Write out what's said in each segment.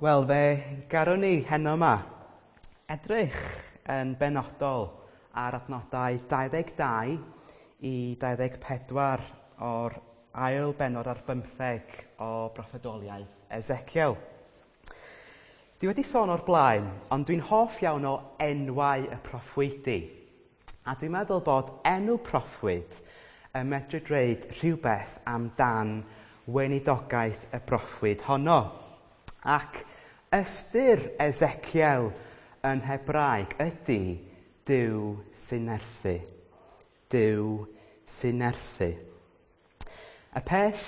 Wel, fe garwn ni heno yma edrych yn benodol ar adnodau 22 i 24 o'r ail bennod ar bymtheg o broffwydoliaeth Ezekiel. Dwi wedi sôn o'r blaen, ond dwi'n hoff iawn o enwau y proffwydi. A dwi'n meddwl bod enw proffwyd yn medru dweud rhywbeth amdan weinidogaeth y broffwyd honno. Ac ystyr Ezekiel yn Hebraeg ydy Duw sy'n nerthu. Duw sy'n nerthu. Y peth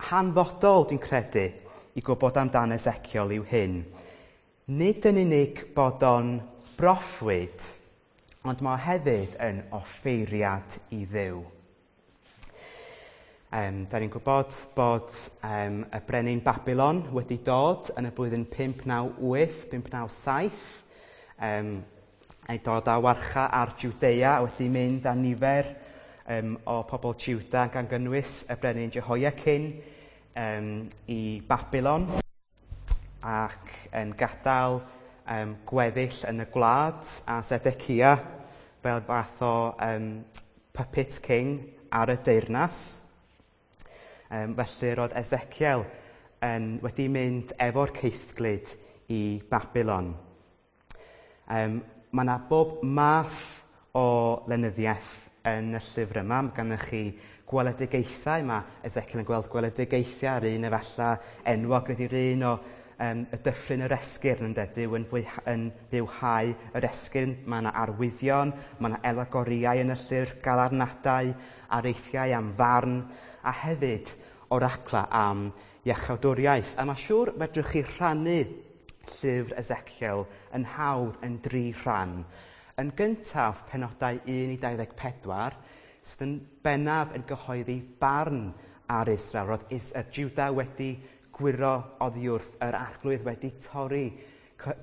hanfodol dwi'n credu i gwybod amdan Ezekiel yw hyn. Nid yn unig bod o'n broffwyd, ond mae o hefyd yn offeiriad i Dduw. Da ni'n gwybod bod y brenin Babylon wedi dod yn y blwyddyn 598, 597, ei dod â warcha ar Judea a wedi mynd â nifer o pobl Juda gan gynnwys y brenin Jehoiachin i Babylon ac yn gadael gweddill yn y gwlad a Zedekia fel fath o puppet king ar y deyrnas. Felly roedd Ezekiel wedi mynd efo'r caethglud i Babylon. Mae yna bob math o lenyddiaeth yn y llyfr yma. Mae gennych chi gweledigaethau. Mae Ezekiel yn gweld gweledigaethau ar un efallai enwog ydy'r un o y dyffryn yr esgyrn, ynde? Duw yn bywhau yr esgyrn. Mae yna arwyddion, mae yna alegorïau yn y llyfr, galarnadau, areithiau am farn, a hefyd oracla am iachawdwriaeth. A mae siŵr fedrwch chi rhannu llyfr Ezekiel yn hawdd yn dri rhan. Yn gyntaf, penodau 1 i 24, sydd yn bennaf yn gyhoeddi barn ar Israel. Roedd Juda wedi gwyro oddi wrth yr arglwydd, wedi torri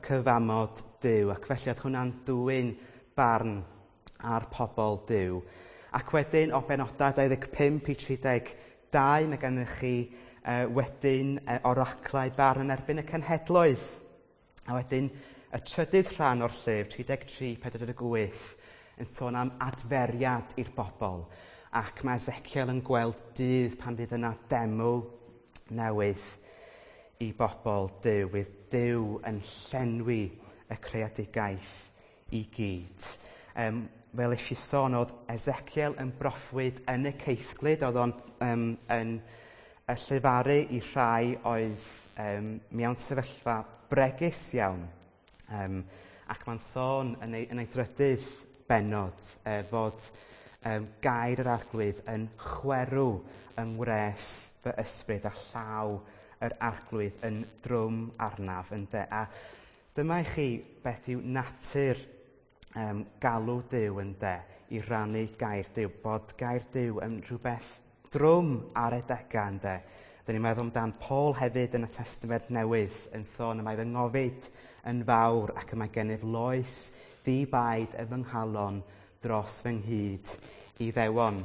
cyfamod Duw, ac felly oedd hwnna'n dwyn barn ar pobl Duw. Ac wedyn o benodau 25 i 32, mae gennych chi wedyn oraclau barn yn erbyn y cenhedloedd. A wedyn y trydydd rhan o'r llyfr, 33, 48, yn sôn am adferiad i'r bobl. Ac mae Ezekiel yn gweld dydd pan fydd yna deml newydd i bobl Duw, fydd Duw yn llenwi y creadigaeth i gyd. Fel eisiau sôn, oedd Ezekiel yn broffwyd yn y caethglud, oedd o'n yn y llefaru i rhai oedd mewn sefyllfa bregus iawn. Ac mae'n sôn yn ei drydydd bennod fod gair yr arglwydd yn chwerw yng ngwres fy ysbryd a llaw yr arglwydd yn drwm arnaf, ynde. A dyma i chi beth yw natur galw Duw, ynde, i rannu gair Duw, bod gair Duw yn rhywbeth drwm ar adegau, ynde. Dyn ni'n meddwl amdan Paul hefyd yn y Testament Newydd yn sôn y mae fy ngofid yn fawr ac y mae gennyf loes ddi-baid yn fy nghalon dros fy nghyd i ddewon.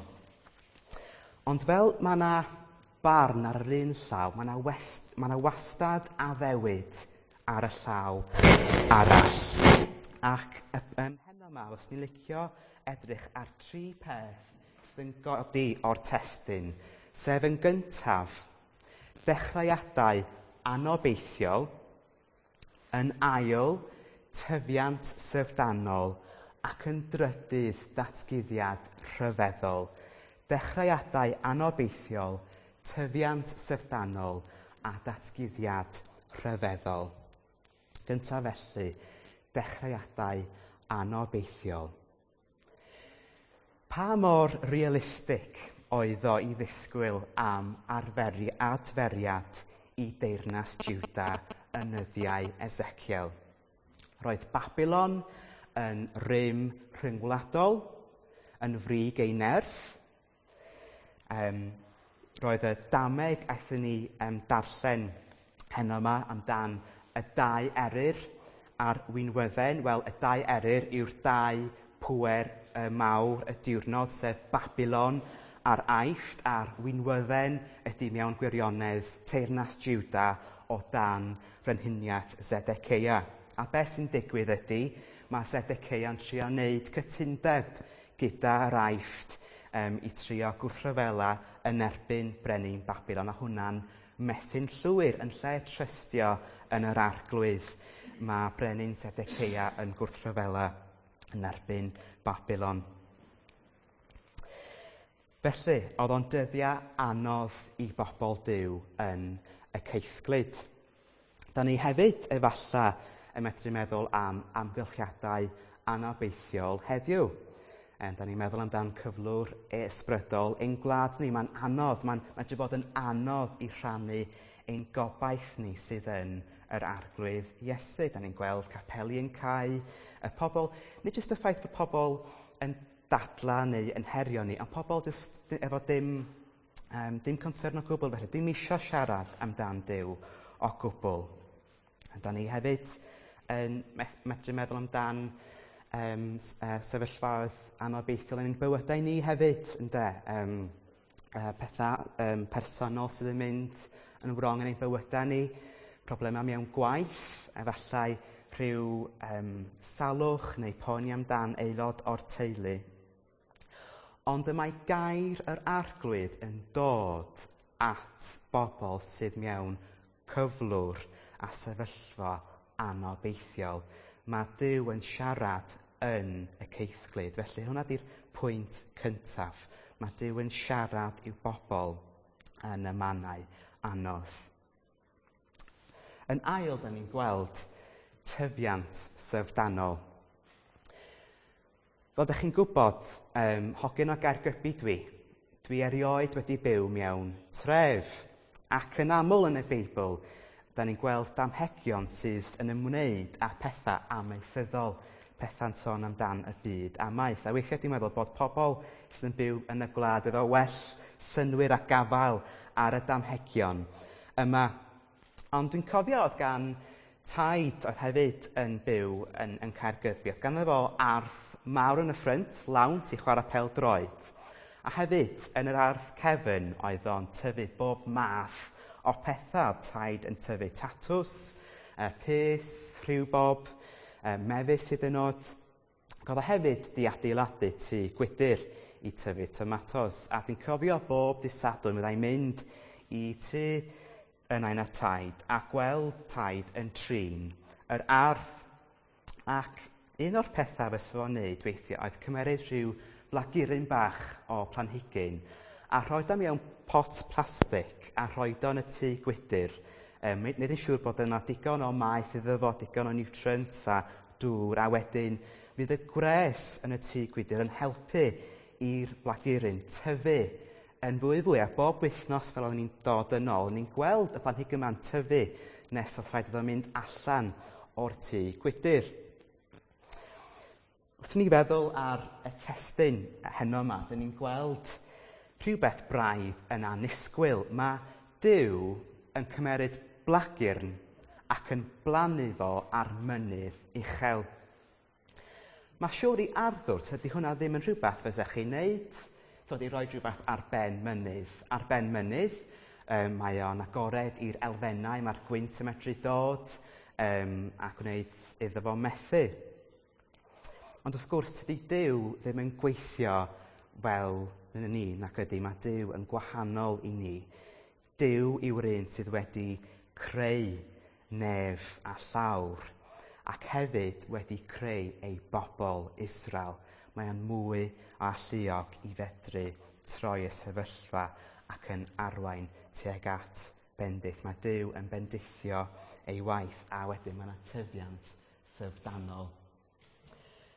Ond fel mae yna barn ar yr un llaw, mae yna wastad addewid ar y llaw arall. Ac heno yma, os ni'n licio edrych ar tri peth sy'n godi o'r testun, sef yn gyntaf, dechreuadau anobeithiol, yn ail, tyfiant syfrdanol, ac yn drydydd, datguddiad rhyfeddol. Dechreuadau anobeithiol, tyfiant syfrdanol a datguddiad rhyfeddol. Gyntaf felly, dechreuadau anobeithiol. Pa mor realistig oedd o i ddisgwyl am adferiad i deyrnas Juda yn nyddiau Ezekiel? Roedd Babylon yn rym rhyngwladol, yn frig ei nerth. Roedd y dameg aethon ni darllen heno yma amdan y dau eryr a'r winwydden. Wel, y dau eryr yw'r dau pŵer mawr y diwrnod, sef Babylon a'r Aifft, a'r winwydden ydy mewn gwirionedd teyrnas Juda o dan frenhiniaeth Zedekeia. A beth sy'n digwydd ydy, mae Zedekeia'n trio wneud cytundeb gyda'r Aifft i trio gwrthryfela yn erbyn brenin Babilon, a hwnna'n methu'n llwyr. Yn lle trystio yn yr Arglwydd, mae brenin Zedekeia yn gwrthryfela yn erbyn Babilon. Felly, oedd o'n dyddiau anodd i bobl Duw yn y caethglud. Da ni hefyd efallai yn medru meddwl am amgylchiadau anobeithiol heddiw. Da ni'n meddwl amdan cyflwr ysbrydol ein gwlad ni. Mae'n anodd, mae'n medru bod yn anodd i rhannu ein gobaith ni sydd yn yr Arglwydd Iesu. Da ni'n gweld capeli yn cau, y pobl, nid jyst y ffaith bod pobl yn dadla neu yn herio ni, ond pobl jyst efo dim concern o gwbl, felly dim isio siarad amdan Duw o gwbl. Da ni hefyd yn medru meddwl amdan sefyllfaoedd anobeithiol yn ein bywydau ni hefyd, ynde? Pethau personol sydd yn mynd yn wrong yn ein bywydau ni, problemau mewn gwaith, efallai rhyw salwch neu poeni amdan aelod o'r teulu. Ond y mae gair yr Arglwydd yn dod at bobl sydd mewn cyflwr a sefyllfa anobeithiol. Mae Duw yn siarad yn y caethglud. Felly hwnna di'r pwynt cyntaf. Mae Duw yn siarad i'w bobl yn y mannau anodd. Yn ail, da ni'n gweld tyfiant syfrdanol. Fel ydych chi'n gwybod, hogyn o Gaergybi dwi. Dwi erioed wedi byw mewn tref. Ac yn aml yn y Beibl, da ni'n gweld damhegion sydd yn ymwneud â pethau amaethyddol, pethau'n sôn amdan y byd amaeth. A weithiau dwi'n meddwl bod pobl sydd yn byw yn y gwlad efo well synnwyr a gafael ar y damhegion yma. Ond dwi'n cofio oedd gan taid oedd hefyd yn byw yn Caergybi. Oedd ganddo fo ardd mawr yn y ffrynt, lawnt i chwarae pêl-droed. A hefyd yn yr ardd cefn oedd o'n tyfu bob math o pethau. Oedd taid yn tyfu tatws, pys, rhywbob, mefus hyd yn oed. Ac oedd o hefyd di adeiladu tŷ gwydr i tyfu tomatos. A dwi'n cofio bob dydd Sadwrn fyddai'n mynd i tŷ yn nain a taid a gweld taid yn trin yr ardd. Ac un o'r pethau fysa fo'n neud weithiau oedd cymeryd rhyw blaguryn bach o planhigyn a rhoid o mewn pot plastig a rhoid o yn y tŷ gwydr. Nid yn siŵr bod yna digon o maeth iddo fo, digon o nutrients a dŵr, a wedyn fydd y gwres yn y tŷ gwydr yn helpu i'r blaguryn tyfu yn fwy fwy, a bob wythnos fel oedden ni'n dod yn ôl, ni'n gweld y planhigyn yma'n tyfu nes oedd rhaid iddo mynd allan o'r tŷ gwydr. Wrth ni feddwl ar y testun heno yma, dyn ni'n gweld rhywbeth braidd yn annisgwyl. Mae Duw yn cymeryd blagyrn ac yn blannu fo ar mynydd uchel. Mae siŵr i arddwr, tydi hwnna ddim yn rhywbeth fysech chi'n neud. Dod i roi rhywbeth ar ben mynydd. Ar ben mynydd, mae o'n agored i'r elfennau, mae'r gwynt yn medru dod a gwneud iddo fo methu. Ond wrth gwrs, tydi Duw ddim yn gweithio fel ni, nac ydy, mae Duw yn gwahanol i ni. Duw yw'r un sydd wedi creu nef a llawr, ac hefyd wedi creu ei bobl Israel. Mae o'n mwy o alluog i fedru troi y sefyllfa ac yn arwain tuag at bendith. Mae Duw yn bendithio ei waith, a wedyn mae yna tyfiant syfrdanol.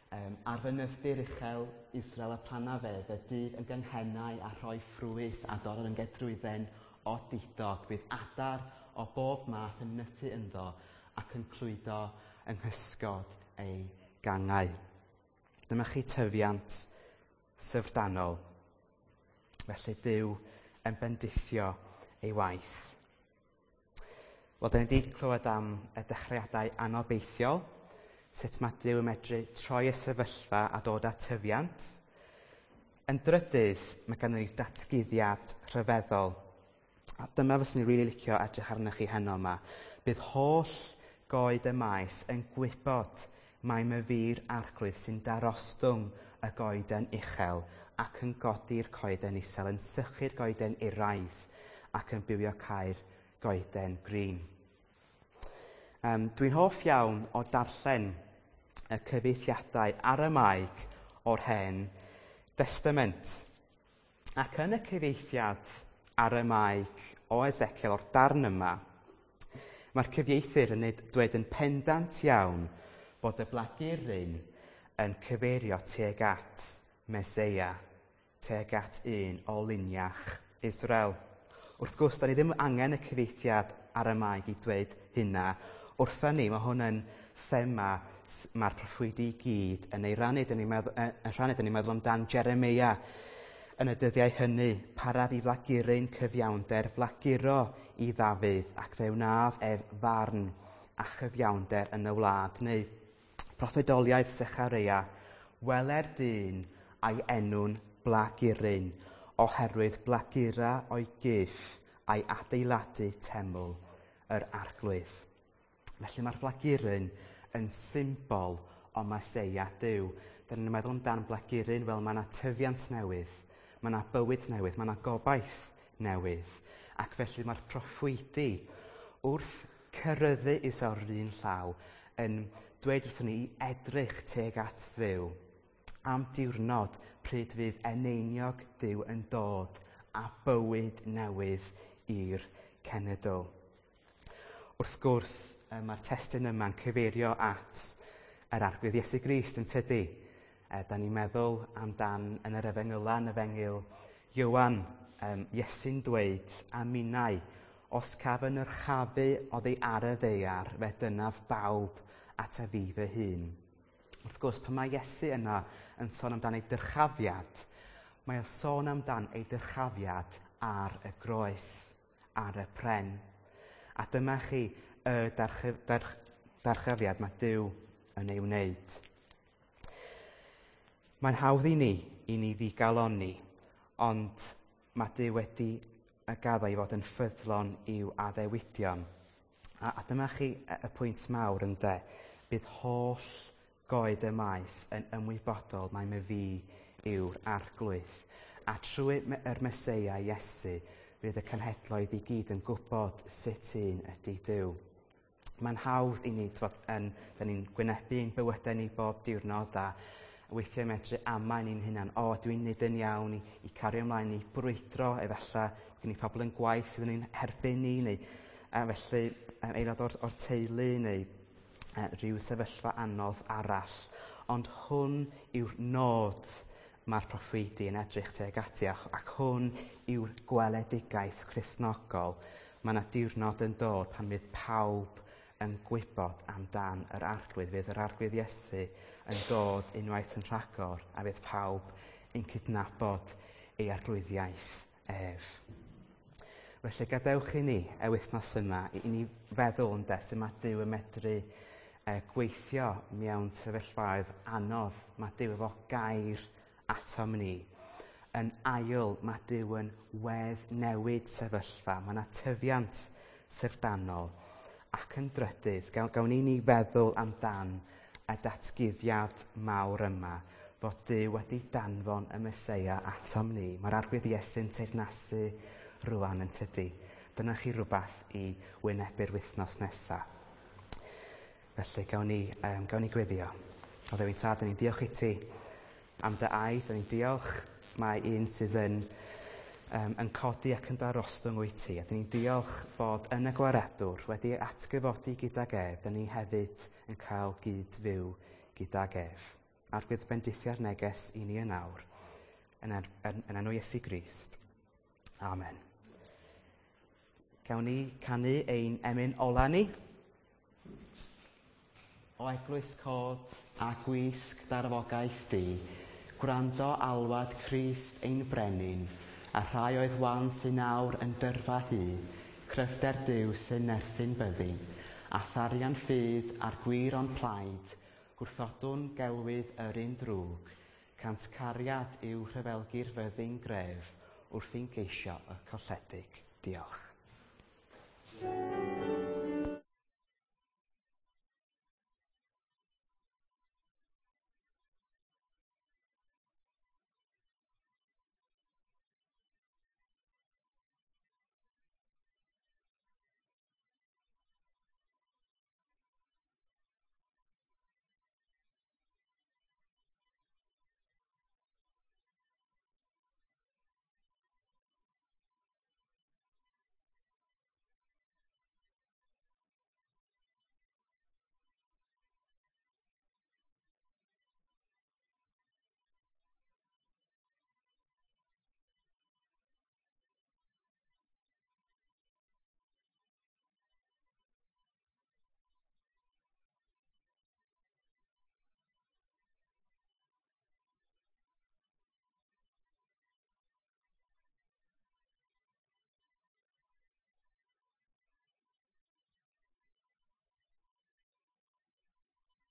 Ar fynydd uchel Israel y planna fe, fe dydd yn gynghennau a rhoi ffrwyth a dorrodd yn gedrwydden o didog. Bydd adar o bob math yn nythu ynddo ac yn clwydo yng nghysgod ei gangau. Dyma chi tyfiant syfrdanol. Felly Duw yn bendithio ei waith. Wel, da ni wedi clywed am y dechreuadau anobeithiol, sut mae Duw yn medru troi y sefyllfa a dod â tyfiant. Yn drydydd, mae gennym ni datguddiad rhyfeddol. A dyma fyswn i'n rili licio edrych arnoch chi heno yma. Bydd holl goed y maes yn gwybod mai myfi'r arglwydd sy'n darostwng y goeden uchel ac yn godi'r coeden isel, yn sychu'r goeden iraidd ac yn bywio cael goeden grin. Dwi'n hoff iawn o darllen y cyfieithiadau Aramaeg o'r Hen Destament. Ac yn y cyfieithiad Aramaeg o Ezekiel o'r darn yma, mae'r cyfieithyr yn dweud yn pendant iawn bod y blaguryn yn cyfeirio tuag at Meseia, tuag at un o luniach Israel. Wrth gwrs, da ni ddim angen y cyfieithiad Aramaeg i dweud hynna. Wrtha ni, mae hwn yn thema mae'r proffwydi i gyd yn ei rannu. Dyn ni'n meddwl, rhannu, dyn ni'n meddwl amdan Jeremia yn y dyddiau hynny, paraf i flaguryn cyfiawnder, flaguro i Ddafydd, ac fe wnaf ef farn a chyfiawnder yn y wlad. Neu proffwydoliaeth Sechareia, weler dyn a'i enw'n blaguryn, oherwydd blagura o'i gyff a'i adeiladu teml yr arglwydd. Felly mae'r blaguryn yn symbol o Meseia Duw. Dyn ni'n meddwl amdan blaguryn fel mae yna tyfiant newydd, mae yna bywyd newydd, mae yna gobaith newydd. Ac felly mae'r proffwydi wrth cyrryddu Israel yr un llaw yn dweud wrthon ni i edrych tuag at Dduw am diwrnod pryd fydd eneiniog Duw yn dod a bywyd newydd i'r cenedl. Wrth gwrs, mae'r testun yma'n cyfeirio at yr Arglwydd Iesu Grist yn tydi. Da ni'n meddwl amdan yn yr Efengyla, yn Efengyl Ioan, Iesu'n dweud a minnau, os caf yn yrchafu oddi ar y ddaear, fe dynaf bawb at a fi fy hun. Wrth gwrs, pan mae Iesu yna yn sôn amdan ei dyrchafiad, mae o'n sôn amdan ei dyrchafiad ar y groes, ar y pren. A dyma chi y darchafiad mae Duw yn ei wneud. Mae'n hawdd i ni ddigalonni, ond mae Duw wedi y gaddo i fod yn ffyddlon i'w addewidion. A dyma chi y pwynt mawr ynde, bydd holl goed y maes yn ymwybodol mai myfi yw'r arglwydd. A trwy yr Meseia Iesu, fydd y cenhedloedd i gyd yn gwybod sut un ydy Duw. Mae'n hawdd i ni, da ni'n gwynebu ein bywydau ni bob diwrnod a weithiau medru amau ni'n hunan, o, dwi'n neud yn iawn i cario ymlaen i brwydro, efallai gen i pobl yn gwaith sydd yn ein herbyn ni, neu felly aelod o'r teulu, neu rhyw sefyllfa anodd arall. Ond hwn yw'r nod mae'r proffwydi yn edrych tuag ati, ac hwn yw'r gweledigaeth Cristnogol. Mae yna diwrnod yn dod pan fydd pawb yn gwybod amdan yr Arglwydd. Fydd yr Arglwydd Iesu yn dod unwaith yn rhagor a fydd pawb yn cydnabod ei arglwyddiaeth ef. Felly gadewch i ni y wythnos yma i ni feddwl ynde sut mae Duw yn medru gweithio mewn sefyllfaoedd anodd. Mae Duw efo gair atom ni. Yn ail, mae Duw yn wedd newid sefyllfa. Mae yna tyfiant syfrdanol. Ac yn drydydd, gawn ni feddwl amdan y datguddiad mawr yma, bod Duw wedi danfon y Meseia atom ni. Mae'r Arglwydd Iesu'n teyrnasu rwan yn tydi. Dyna chi rhywbeth i wynebu'r wythnos nesaf. Felly, gawn ni gweddio. O Dduw ein Tad, ni'n diolch i ti am dy air, ni'n diolch mae un sydd yn codi ac yn darostwng wyt ti. A dyn ni'n diolch fod yn y Gwaredwr wedi atgyfodi gydag ef, dyn ni hefyd yn cael gyd fyw gydag ef. Arglwydd, bendithia'r neges i ni yn awr, yn enw Iesu Grist. Amen. Gawn ni canu ein emyn ola ni. O eglwys cod a gwisg darfogaeth di, gwrando alwad Crist ein brenin, a rhai oedd wan sy'n nawr yn dyrfa hi, cryfder Duw sy'n nerthyn byddi, a tharian ffydd a'r gwir o'n plaid, gwrthodwn gelwydd yr un drwg, cant cariad yw rhyfelgu'r fyddin gref wrth i'n geisio y colledig. Diolch.